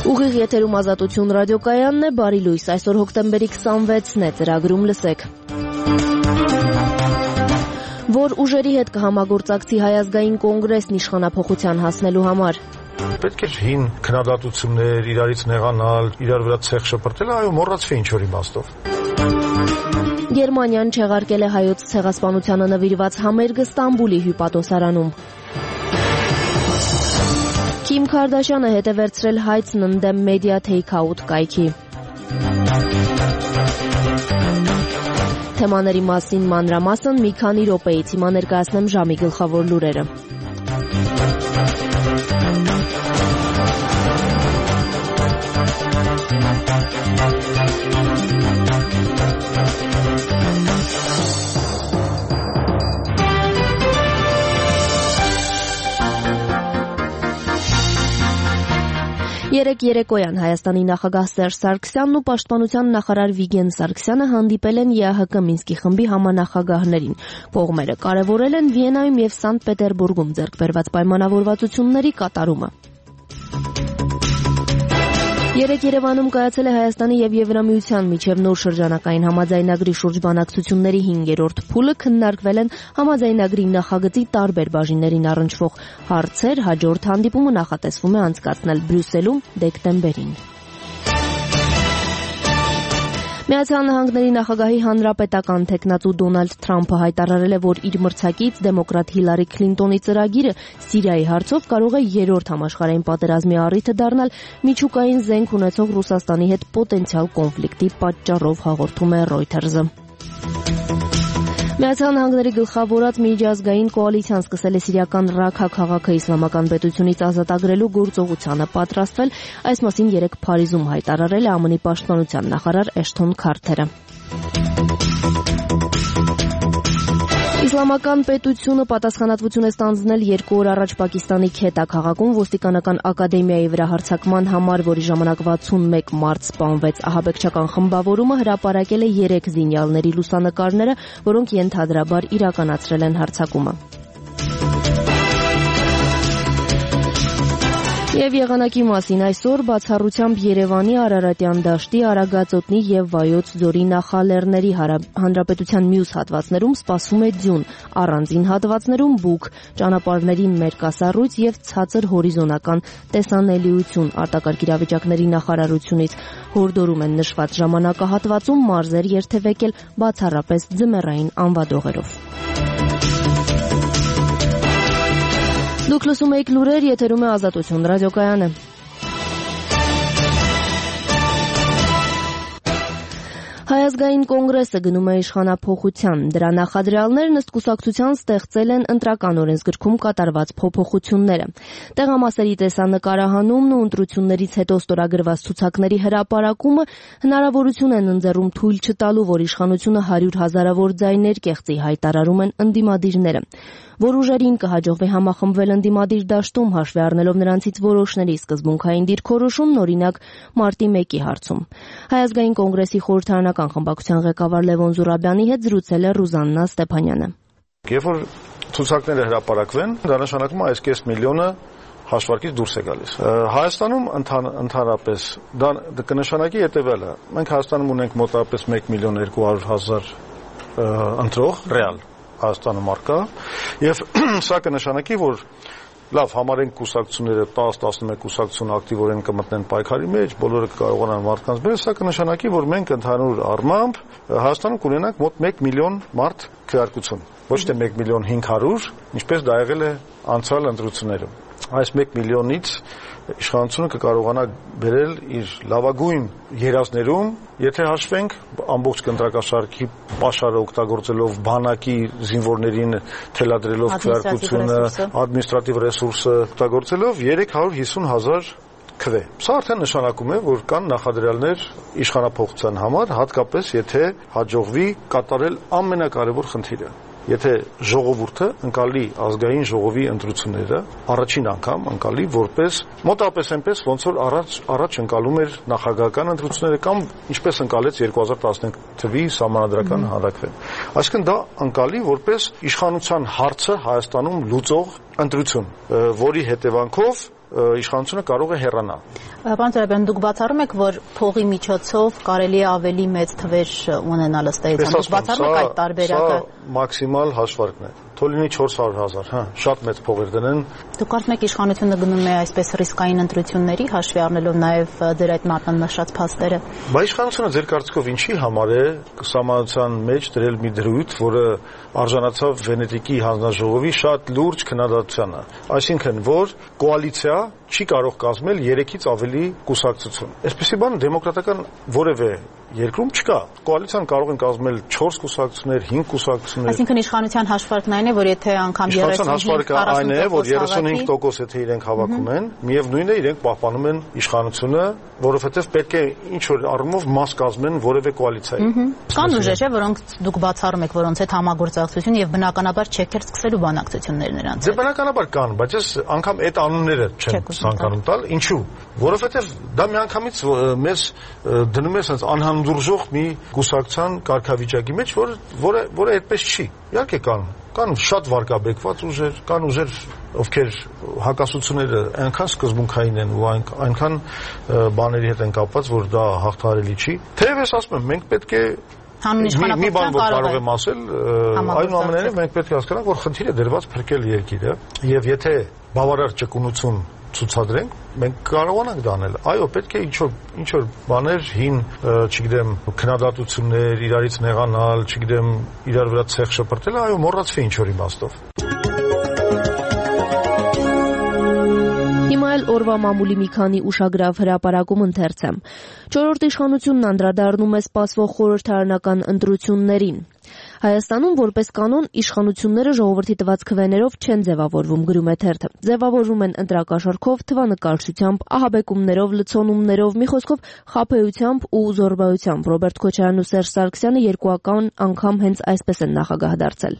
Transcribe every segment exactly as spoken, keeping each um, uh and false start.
Ուղիղ եթերում Ազատություն ռադիոկայանն է, բարի լույս, այսօր հոկտեմբերի քսանվեցն է, ծրագրում լսեք. Որ ուժերի հետ կհամագործակցի Հայ ազգային կոնգրեսն իշխանափոխության հասնելու համար. Պետք է հին քննադատություններ, իրարից նեղանալ, իրար վրա ցեխ շպրտել, այո, մոռացվի ինչ-որ իմաստով. Գերմանիան չեղարկել է հայոց ցեղասպանությանը նվիրված համերգը Ստամբուլի հյուպատոսարանում. Քիմ Քարդաշյանը հետ է վերցրել հայցն ընդդեմ մեդիա թեյք-աութ կայքի. Թեմաների մասին մանրամասն մի քանի րոպեից, հիմա ներկայացնեմ ժամի գլխավոր լուրերը. Երեկ երեկոյան Հայաստանի նախագահ Սերժ Սարգսյանն ու պաշտպանության նախարար Վիգեն Սարգսյանը հանդիպել են ԵԱՀԿ Մինսկի խմբի համանախագահներին։ Կողմերը կարևորել են Վիեննայում և Սանկտ Պետերբուրգում ձեռք բերված պայմանավորվածությունների կատարումը։ Երեկ Երևանում կայացել է Հայաստանի և Եվրամիության միջև նոր շրջանակային համաձայնագրի շուրջ բանակցությունների հինգերորդ փուլը, քննարկվել են համաձայնագրի նախագծի տարբեր բաժիններին առնչվող հարցեր, հաջորդ հանդիպումը նախատեսվում է անցկացնել Բրյուսելում դեկտեմբերին։ Միացյալ Նահանգների նախագահի հանրապետական թեկնածու Դոնալդ Թրամփը հայտարարել է, որ իր մրցակից դեմոկրատ Հիլարի Քլինտոնի ծրագիրը Սիրիայի հարցով կարող է երրորդ համաշխարհային պատերազմի առիթը դառնալ միջուկային զենք ունեցող Ռուսաստանի հետ պոտենցիալ կոնֆլիկտի պատճառով, հաղորդում է Reuters-ը։ Միացյալ Նահանգների գլխավորած միջազգային կոալիցիան սկսել է սիրիական Ռաքա քաղաքը իսլամական պետությունից ազատագրելու գործողությանը պատրաստվել, այս մասին երեկ Փարիզում հայտարարել է ԱՄՆ-ի պաշտպանության նախարար Էշթոն Քարթերը։ Իսլամական պետությունը պատասխանատվություն է ստանձնել երկու օր առաջ Պակիստանի Քետա քաղաքում ոստիկանական ակադեմիայի վրա հարձակման համար, որի ժամանակ վաթսունմեկ մարդ սպանվեց։ Ահաբեկչական խմբավորումը հրապարակել է երեք զինյալների լուսանկարները, որոնք ենթադրաբար իրականացրել են հարձակումը։ Եվ եղանակի մասին այսօր բացառությամբ Երևանի, Արարատյան դաշտի, Արագածոտնի և Վայոց ձորի նախալեռների հանրապետության մյուս հատվածներում սպասվում է ձյուն, առանձին հատվածներում բուք, ճանապարհներին մերկասառույց և ցածր հորիզոնական տեսանելիություն, արտակարգ իրավիճակների նախարարությունից հորդորում են նշված ժամանակահատվածում մարզեր երթևեկել բացառապես ձմեռային անվադողերով։ Դուք լսում եք լուրեր, եթերում է Ազատություն ռադիոկայանը։ Հայ ազգային կոնգրեսը գնում է իշխանափոխության։ Դրա նախադրյալներն ըստ կուսակցության ստեղծել են ընտրական օրենսգրքում կատարված փոփոխությունները։ Տեղամասերի տեսանկարահանումն ու ընտրություններից հետո ստորագրված ցուցակների հրապարակումը հնարավորություն են ընձեռում թույլ չտալու, որ իշխանությունը հարյուր հազարավոր ձայներ կեղծի, հայտարարում են ընդդիմադիրները։ Որ ուժերին կհաջողվի համախմբվել ընդդիմադիր դաշտում, հաշվի առնելով նրանցից որոշների սկզբունքային դիրքորոշումն, օրինակ մարտի մեկի հարցում։ Հայ ազգային կոնգրեսի խորհրդարանական խմբակցության ղեկավար Լևոն Զուրաբյանի հետ զրուցել է Ռուզաննա Ստեփանյանը։ Երբ որ ցուցակները հրապարակվեն, դա նշանակում է այս կես միլիոնը հաշվարկից դուրս է գալիս։ Հայաստանում ընդհանրապես դա կնշանակի հետևյալը. մենք Հայաստանում ունենք մոտավորապես մեկ միլիոն երկու հարյուր հազար ընտրող ռեալ Հայաստանում արկա, եւ սա կնշանակի, որ լավ համարենք կուսակցությունները տասը տասնմեկ կուսակցություն ակտիվորեն կմտնեն պայքարի մեջ, բոլորը կկարողանան մարդկանց բերել, սա կնշանակի, որ մենք ընդհանուր առմամբ Հայաստանում կունենանք մոտ մեկ միլիոն մարդ քվեարկություն, ոչ թե մեկ միլիոն հինգ հարյուր, ինչպես դա եղել է անցյալ ընտրություններում։ Այս մեկ միլիոնից իշխանությունը կկարողանա բերել իր լավագույն երազներում, եթե հաշվենք ամբողջ կընտրակաշարքի պաշարը օգտագործելով բանակի զինվորներին թելադրելով քվեարկությունը, ադմինիստրատիվ ռեսուրսը օգտագործելով երեք հարյուր հիսուն հազար քվե։ Սա արդեն նշանակում է, որ կան նախադրյալներ իշխանափոխության համար, հատկապես եթե հաջողվի կատարել ամենակարևոր խնդիրը։ Եթե ժողովուրդը ընկալի ազգային ժողովի ընտրությունները առաջին անգամ ընկալի որպես մոտավորապես այնպես ոնց որ առաջ առաջ ընկալում էր նախագահական ընտրությունները կամ ինչպես ընկալեց երկու հազար տասնենք թվականի սահմանադրական հանրաքվեն։ Այսինքն դա ընկալի որպես իշխանության հարցը Հայաստանում լուծող ընտրություն, որի հետևանքով իշխանությունը կարող է հեռանալ։ Պարոն Ծառայաբան, դուք բացառում եք, որ փողի միջոցով կարելի է ավելի մեծ թվեր ունենալ ըստ էության։ Դուք բացառում եք այդ տարբերակը։ Սա մաքսիմալ հաշվարկն է։ Թող լինի չորս հարյուր հազար, հա, շատ մեծ փողեր դնեն։ Դուք կարծում եք իշխանությունը գնում է այսպես ռիսկային ընտրությունների, հաշվի առնելով նաև ձեր այդ մատնանշած փաստերը։ Բայց իշխանությունը ձեր կարծիքով ինչի համար է սահմանության մեջ դրել մի դրույթ, որը արժանացավ Վենետիկի հանձնաժողովի շատ լուրջ քննադատությանը, այսինքն որ կոալիցիա չի կարող կազմել երեքից ավելի կուսակցություն։ Այսպեսի բան դեմոկրատական որևէ երկրում չկա։ Կոալիցիան կարող են կազմել չորս կուսակցություններ, հինգ կուսակցություններ։ Այսինքն իշխանության հաշվարկն այն է, որ եթե անգամ երեսունհինգ այն է, որ երեսունհինգ տոկոս եթե իրենք հավաքում են, միևնույնն է իրենք պահպանում են իշխանությունը, որովհետև պետք է ինչ որ առումով մաս կազմեն որևէ կոալիցիայի։ Կան ուժեր, չէ, որոնք դուք բացառում եք, որոնց հետ համագործակցություն եւ բնականաբար չեք էլ սկսելու բանակցություններ նրանց։ Դե բնականաբար կան, բայց ես անգամ այդ անունները չեմ ցանկանում տալ, ինչու՞։ Որովհետև դա միանգամից մեզ դնում է sense անհանդուրժող մի կուսակցության կարգավիճակի մեջ, որը որը որը այդպես չի։ Իհարկե կան կան շատ վարկաբեկված ուժեր, կան ուժեր, ովքեր հակասությունները այնքան սկզբունքային են ու այնքան բաների հետ են կապված, որ դա հաղթահարելի չի։ Թեև ես ասում եմ, մենք պետք է հանուն իշխանապետության կարող եմ ասել, այնուամենայնիվ մենք պետք է հասկանանք, որ խնդիրը դրված փրկել երկիրը, եւ եթե բավարար ճկունություն ցուցադրենք, մենք կարողանանք դա անել։ Այո, պետք է ինչ-որ ինչ-որ բաներ հին, չգիտեմ, քննադատություններ, իրարից նեղանալ, չգիտեմ, իրար վրա ցեխ շպրտել, այո, մոռացվի ինչ-որ իմաստով։ Հիմա էլ օրվա մամուլի մի քանի ուշագրավ հրապարակում ընթերցեմ։ Չորրորդ իշխանությունն անդրադառնում է սպասվող խորհրդարանական ընտրություններին։ Հայաստանում որպես կանոն իշխանությունները ժողովրդի տված քվեներով չեն ձևավորվում, գրում է թերթը։ Ձևավորվում են ընտրակաշառքով, թվանկարչությամբ, ահաբեկումներով, լցոնումներով, մի խոսքով խաբեությամբ ու զոռբայությամբ։ Ռոբերտ Քոչարյանն ու Սերժ Սարգսյանը երկուական անգամ հենց այսպես են նախագահ դարձել։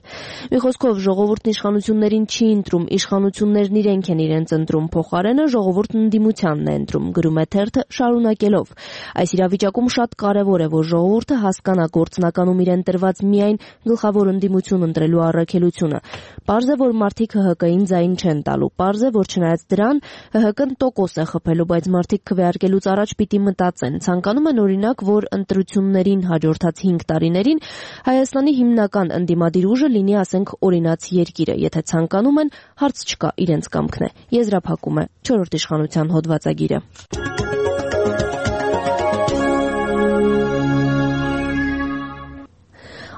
Մի խոսքով ժողովուրդն իշխանություններին չի ընտրում, իշխանություններն իրենք են իրենց ընտրում, փոխարենը ժողովուրդն ընդդիմությանն է ընտրում, գրում է թերթը շարունակելով։ Այս իրավիճակում շատ կարևոր է, որ ժողովուրդը հասկանա գործնականում իրեն տրված միայն գլխավոր ընդդիմություն ընտրելու առաքելությունը։ Պարզ է, որ մարդիկ ՀՀԿ-ին ձայն չեն տալու։ Պարզ է, որ չնայած դրան ՀՀԿ-ն տոկոս է խփելու, բայց մարդիկ քվեարկելուց առաջ պիտի մտածեն։ Ցանկանում են օրինակ, որ ընտրություններին հաջորդած հինգ տարիներին Հայաստանի հիմնական ընդդիմադիր ուժը լինի, ասենք, օրինաց երկիրը։ Եթե ցանկանում են, հարց չկա, իրենց կամքն է։ Եզրափակում է չորրորդ իշխանության հոդվածագիրը։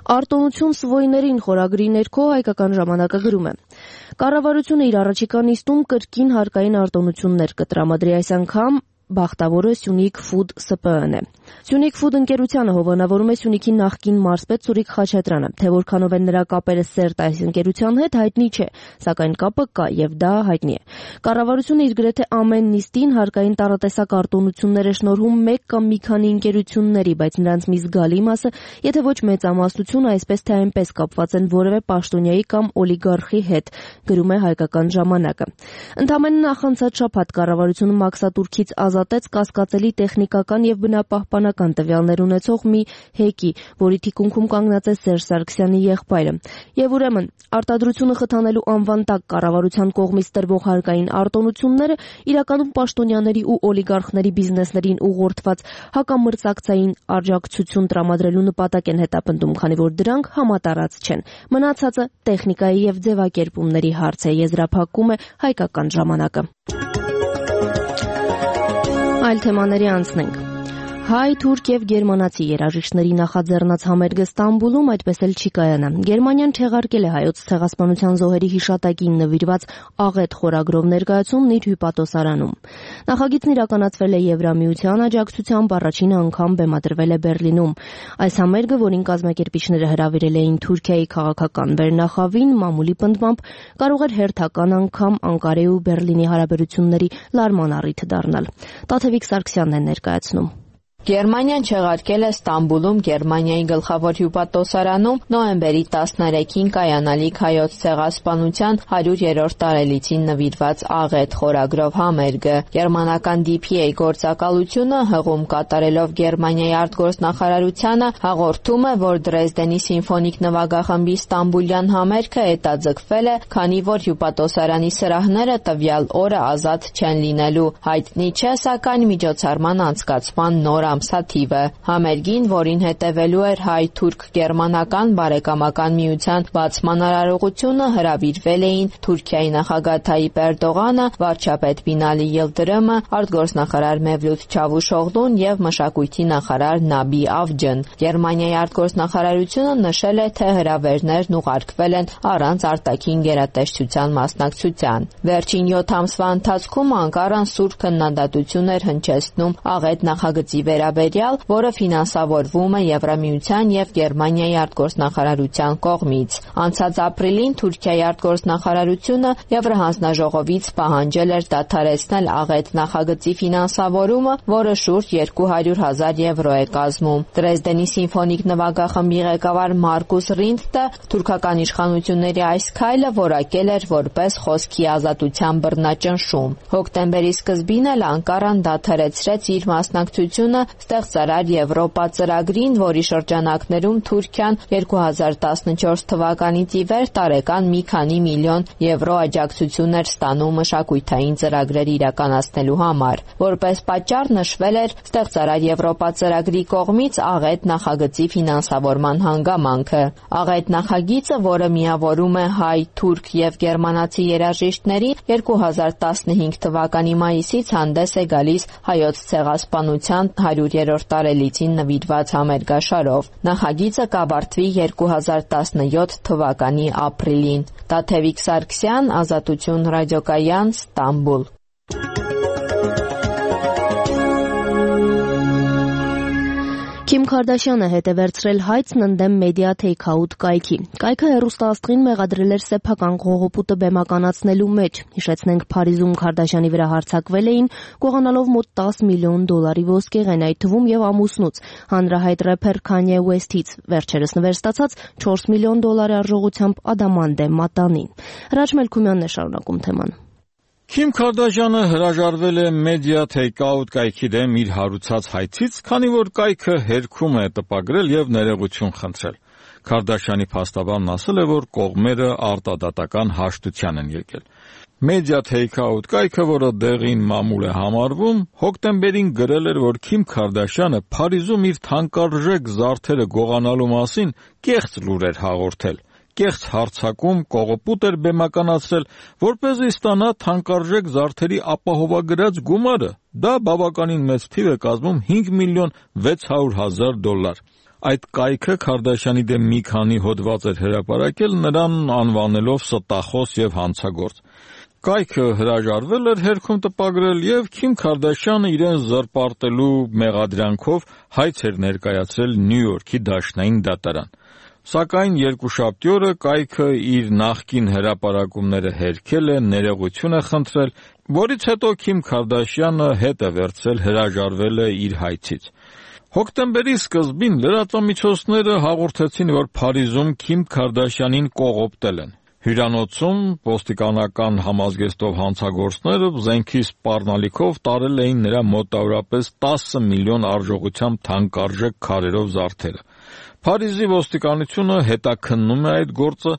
Արտոնություն սվոյներին խորագրի ներքո հայկական ժամանակը գրում է. Կառավարությունը իր առաջիկա նիստում կրկին հարկային արտոնություններ կտրամադրի, այս անգամ բախտավորը Սյունիք Ֆուդ Ս Պ Ն է։ Սյունիք Ֆուդ ընկերությանը հովանավորում է Սյունիքի նախկին մարզպետ Սուրիկ Խաչատրյանը, թե որքանով են նրա կապերը սերտ այս ընկերության հետ հայտնի չէ, սակայն կապը կա եւ դա հայտնի է։ Կառավարությունը իր գրեթե ամեն նիստին հարկային տարատեսակ արտոնություններ է շնորհում մեկ կամ մի քանի ընկերությունների, բայց նրանց մի զգալի մասը, եթե ոչ մեծամասնությունը, այսպես թե այնպես կապված են որևէ պաշտոնյայի կամ օլիգարխի հետ, գրում է հայկական ժամանակը։ Ընդամենը նախանցած շաբաթ կառավարությունը մաքսատուրքից ազատեց կասկածելի տեխնիկական եւ բնապահպանական տվյալներ ունեցող մի հեկի, որի թիկունքում կանգնած է Սերժ Սարգսյանի եղբայրը։ Եվ ուրեմն արտադրությունը խթանելու անվան տակ կառավարության կողմից տրվող հարկային արտոնությունները իրականում պաշտոնյաների ու օլիգարխների բիզնեսներին ուղղորդված հակամրցակցային աջակցություն տրամադրելու նպատակ են հետապնդում, քանի որ դրանք համատարած չեն։ Մնացածը տեխնիկայի եւ ձևակերպումների հարց է, եզրափակում է հայկական ժամանակը։ Այլ թեմաների անցնենք։ Հայ, թուրք եւ գերմանացի երաժիշտների նախաձեռնած համերգը Ստամբուլում այդպես էլ չի կայանա։ Գերմանիան չեղարկել է հայոց ցեղասպանության զոհերի հիշատակին նվիրված աղետ խորագրով ներկայացումն իր հյուպատոսարանում։ Նախագիծն իրականացվել է Եվրամիության աջակցությամբ, առաջին անգամ բեմադրվել է Բերլինում։ Այս համերգը, որին կազմակերպիչները հրավիրել էին Թուրքիայի քաղաքական վերնախավին, մամուլի պնդմամբ կարող էր հերթական անգամ Անկարայի ու Բերլինի հարաբերությունների լարման առիթ դառնալ։ Տաթևիկ Սարգսյանն է ներկայացնում։ Գերմանիան չեղարկել է Ստամբուլում Գերմանիայի գլխավոր հյուպատոսարանում նոյեմբերի տասներեքին կայանալիք հայոց ցեղասպանության հարյուրերորդ տարելիցին նվիրված աղետ խորագրով համերգը։ Գերմանական დი փի էյ գործակալությունը հղում կատարելով Գերմանիայի արտգործնախարարությանը հաղորդում է, որ Դրեզդենի սիմֆոնիկ նվագախմբի ստամբուլյան համերգը հետաձգվել է, քանի որ հյուպատոսարանի սրահները տվյալ օրը ազատ չեն լինելու։ Հայտնի չէ, սակայն միջոցառման անցկացման նոր ամսաթիվը։ Համերգին, որին հետևելու էր հայ-թուրք-գերմանական բարեկամական միության բացման արարողությունը, հրավիրվել էին Թուրքիայի նախագահ Թայիպ Էրդողանը, վարչապետ Բինալի Յիլդրիմը, արտգործնախարար Մևլութ Չավուշօղլուն եւ մշակույթի նախարար Նաբի Ավջն։ Գերմանիայի արտգործնախարարությունը նշել է, թե հրավերներն ուղարկվել են առանց արտաքին գերատեսչության մասնակցության։ Վերջին յոթ ամսվա ընթացքում Անկարան սուր քննադատություն էր հնչեցնում աղետ նախագծի վերաբերյալ, որը ֆինանսավորվում է Եվրամիության եւ Գերմանիայի արտգործնախարարության կողմից։ Անցած ապրիլին Թուրքիայի արտգործնախարարությունը Եվրահանձնաժողովից պահանջել էր դադարեցնել աղետ նախագծի ֆինանսավորումը, որը շուրջ երկու հարյուր հազար եվրո է կազմում։ Դրեզդենի սիմֆոնիկ նվագախմբի ղեկավար Մարկուս Ռինտը թուրքական իշխանությունների այս քայլը որակել էր որպես խոսքի ազատության բռնաճնշում։ Հոկտեմբերի սկզբին էլ Անկարան դադարեցրեց իր մասնակցությունը Ստեղծարար Եվրոպա ծրագրին, որի շրջանակներում Թուրքիան երկու հազար տասնչորս թվականից ի վեր տարեկան մի քանի միլիոն եվրո աջակցություն էր ստանում մշակութային ծրագրեր իրականացնելու համար։ Որպես պատճառ նշվել էր Ստեղծարար Եվրոպա ծրագրի կողմից աղետ նախագծի ֆինանսավորման հանգամանքը։ Աղետ նախագիծը, որը միավորում է հայ, թուրք եւ գերմանացի երաժիշտներին, երկու հազար տասնհինգ թվականի մայիսից հանդես է գալիս հայոց ցեղասպանության հարյուրերորդ տարելիցին նվիրված համերգաշարով։ Նախագիծը կավարտվի երկու հազար տասնյոթ թվականի ապրիլին։ Տաթևիկ Սարգսյան, Ազատություն ռադիոկայան, Ստամբուլ։ Քիմ Քարդաշյանը հետ է վերցրել հայցն ընդդեմ մեդիա թեյք-աութ կայքի։ Կայքը հեռուստաաստղին մեղադրել էր սեփական կողոպուտը բեմականացնելու մեջ։ Հիշեցնենք, Փարիզում Քարդաշյանի վրա հարձակվել էին, գողանալով մոտ տասը միլիոն դոլարի ոսկեղեն, այդ թվում եւ ամուսնուց, հանրահայտ рэփեր Քանյե Ուեսթից, վերջերս նվեր ստացած չորս միլիոն դոլարի արժողությամբ ադամանդե մատանին։ Հրաչ Մելքումյանն է շարունակում թեման։ Քիմ Քարդաշյանը հրաժարվել է մեդիա թեյք-աութ կայքի դեմ իր հարուցած հայցից, քանի որ կայքը հերքում է տպագրել եւ ներողություն խնդրել։ Քարդաշյանի փաստաբանն ասել է, որ կողմերը արտադատական հաշտության են եկել։ Մեդիա թեյք-աութ կայքը, որը դեղին մամուլ է համարվում, հոկտեմբերին գրել էր, որ Քիմ Քարդաշյանը Փարիզում իր թանկարժեք զարդերը գողանալու մասին կեղծ լուր էր հաղորդել։ Կեղծ հարցակում կողոպուտ էր բեմականացրել, որպեսզի ստանա թանկարժեք զարդերի ապահովագրած գումարը։ Դա բավականին մեծ թիվ է կազմում հինգ միլիոն վեց հարյուր հազար դոլար։ Այդ կայքը Քարդաշյանի դեմ մի քանի հոդված էր հրապարակել, նրան անվանելով ստախոս եւ հանցագործ։ Կայքը հրաժարվել էր հերքում տպագրել եւ Քիմ Քարդաշյանը իրեն զրպարտելու մեղադրանքով հայց էր ներկայացրել Նյու Յորքի դաշնային դատարան։ Սակայն երկուշաբթի օրը կայքը իր նախկին հրապարակումները հերքել է, ներողություն է խնդրել, որից հետո Քիմ Քարդաշյանը հետ է վերցրել, հրաժարվել է իր հայցից։ Հոկտեմբերի սկզբին լրատվամիջոցները հաղորդեցին, որ Փարիզում Քիմ Քարդաշյանին կողոպտել են։ Հյուրանոցում ոստիկանական համազգեստով հանցագործները զենքի սպառնալիքով տարել էին նրա մոտավորապես տասը միլիոն արժողությամբ թանկարժեք քարերով զարդերը։ Փարիզի ոստիկանությունը հետաքննում է այդ գործը։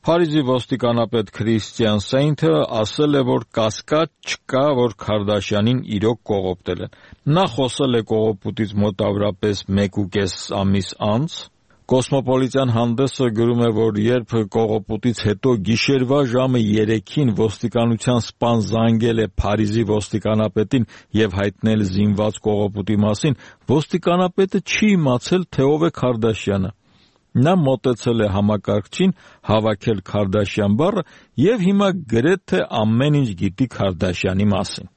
Փարիզի ոստիկանապետ Քրիստիան Սեյնթը ասել է, որ կասկած չկա, որ Քարդաշյանին իրոք կողոպտել են։ Նա խոսել է կողոպուտից մոտավորապես մեկուկես ամիս անց։ Կոսմոպոլիտյան հանդեսը գրում է, որ երբ կողոպուտից հետո գիշերվա ժամը երեքին ոստիկանության սպան զանգել է Փարիզի ոստիկանապետին եւ հայտնել զինված կողոպուտի մասին, ոստիկանապետը չի իմացել, թե ով է Քարդաշյանը։ Նա մոտեցել է համակարգչին, հավաքել Քարդաշյան բառը եւ հիմա գրեթե ամեն ինչ գիտի Քարդաշյանի մասին։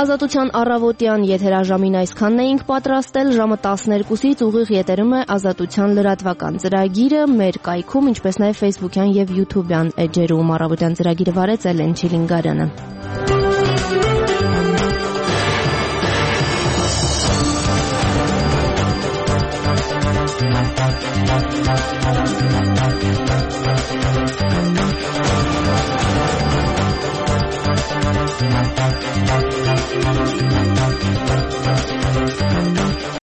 Ազատության առավոտյան եթերաժամին այսքանն էինք պատրաստել, ժամը տասներկուսից ուղիղ եթերում է Ազատության լրատվական ծրագիրը մեր կայքում, ինչպես նաև Facebook-յան եւ YouTube-յան էջերում։ Առավոտյան ծրագիրը վարեց Էլեն Չիլինգարյանը։